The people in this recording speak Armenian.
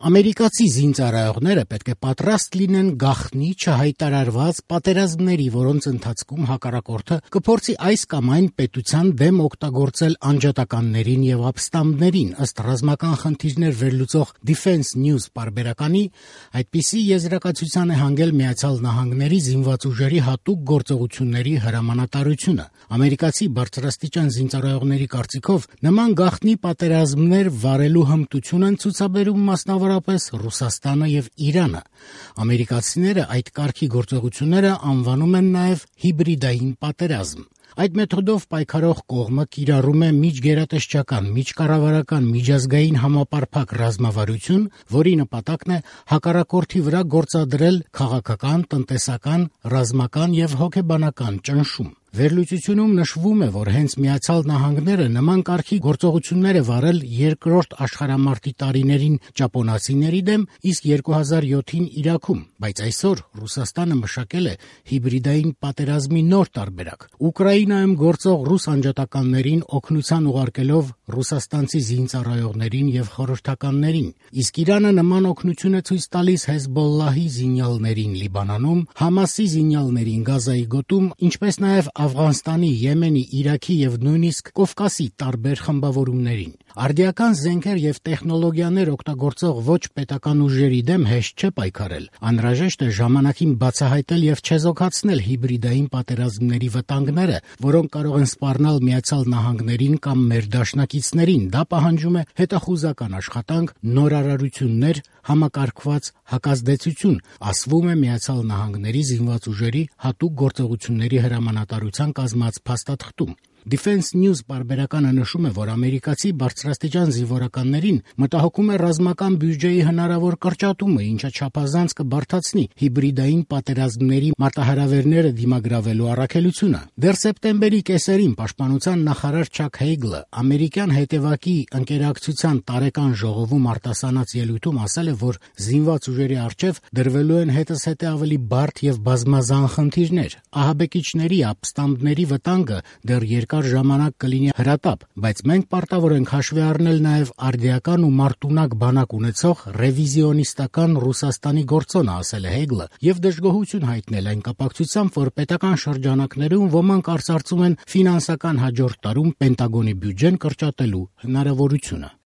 Ամերիկացի զինծառայողները պետք է պատրաստ լինեն գաղտնի չհայտարարված պատերազմների, որոնց ընթացքում հակառակորդը կփորձի այս կամ այն պետության դեմ օգտագործել անջատականներին եւ ապստամբներին, ըստ ռազմական խնդիրներ վերլուծող Defense News պարբերականի, այդպիսի եզրակացության է հանգել Միացյալ Նահանգների զինված ուժերի հատուկ գործողությունների հրամանատարությունը։ Ամերիկացի բարձրաստիճան զինծառայողների կարծիքով նման գաղտնի պատերազմներ վարելու հմտություն են ցուցաբերում մասնավորապես Ռուսաստանը եւ Իրանը։ Ամերիկացիները այդ կարգի գործողությունները անվանում են նաեւ հիբրիդային պատերազմ։ Այդ մեթոդով պայքարող կողմը կիրառում է միջգերատեսչական, միջկառավարական, միջազգային համապարփակ ռազմավարություն, որի նպատակն է հակառակորդի վրա գործադրել քաղաքական, տնտեսական, ռազմական եւ հոգեբանական ճնշում։ Վերլուծությունում նշվում է, որ հենց Միացյալ Նահանգները նման կարգի գործողություններ է վարել Երկրորդ աշխարհամարտի տարիներին ճապոնացիների դեմ, իսկ 2007-ին Իրաքում, բայց այսօր Ռուսաստանը մշակել է հիբրիդային պատերազմի նոր տարբերակ։ Ուկրաինայում գործող ռուս անջատականներին օգնության ուղարկելով ռուսաստանցի զինծառայողներին եւ խորհրդականներին, իսկ Իրանը նման օգնություն է ցույց տալիս Հեզբոլլահի զինյալներին Լիբանանում, Համասի զինյալներին Գազայի գոտում, ինչպես նաեւ Աֆղանստանի, Եմենի, Իրաքի եւ նույնիսկ Կովկասի տարբեր խմբավորումներին։ Արդիական զենքեր եւ տեխնոլոգիաներ օգտագործող ոչ պետական ուժերի դեմ հեշտ չէ պայքարել։ Անհրաժեշտ է ժամանակին բացահայտել եւ չեզոքացնել հիբրիդային պատերազմների վտանգները, որոնք կարող են սպառնալ Միացյալ Նահանգներին կամ մեր դաշնակիցներին։ Դա պահանջում է հետախուզական աշխատանք, նորարարություններ, համակարգված հակազդեցություն, ասվում է Միացյալ Նահանգների զինված ուժերի հատուկ գործողությունների հրամանատարության կազմած փաստաթղթում։ Defense News պարբերականը նշում է, որ ամերիկացի բարձրաստիճան զինվորականներին մտահոգում է ռազմական բյուջեի հնարավոր կրճատումը, ինչը չափազանց կբարդացնի հիբրիդային պատերազմների մարտահրավերները դիմագրավելու առաքելությունը։ Դեռ սեպտեմբերի կեսերին պաշտպանության նախարար Չակ Հեյգլը ամերիկյան հետևակի ընկերակցության տարեկան ժողովում արտասանած ելույթում ասել է, որ զինված ուժերի առջև դրվելու են հետզհետե ավելի բարդ եւ բազմազան խնդիրներ։ Ահաբեկիչների, ապստամբների վտանգը դեռ երկար ժամանակ կլինի հրատապ, բայց մենք պարտավոր ենք հաշվի առնել նաև արդիական ու մարտունակ բանակ ունեցող ռևիզիոնիստական Ռուսաստանի գործոնը, ասել է Հեգլը, եւ դժգոհություն հայտնել այն կապակցությամբ, որ պետական շրջանակներում ոմանք արծարծում են ֆինանսական հաջորդ տարում Պենտագոնի բյուջեն կրճատելու հնարավորությունը։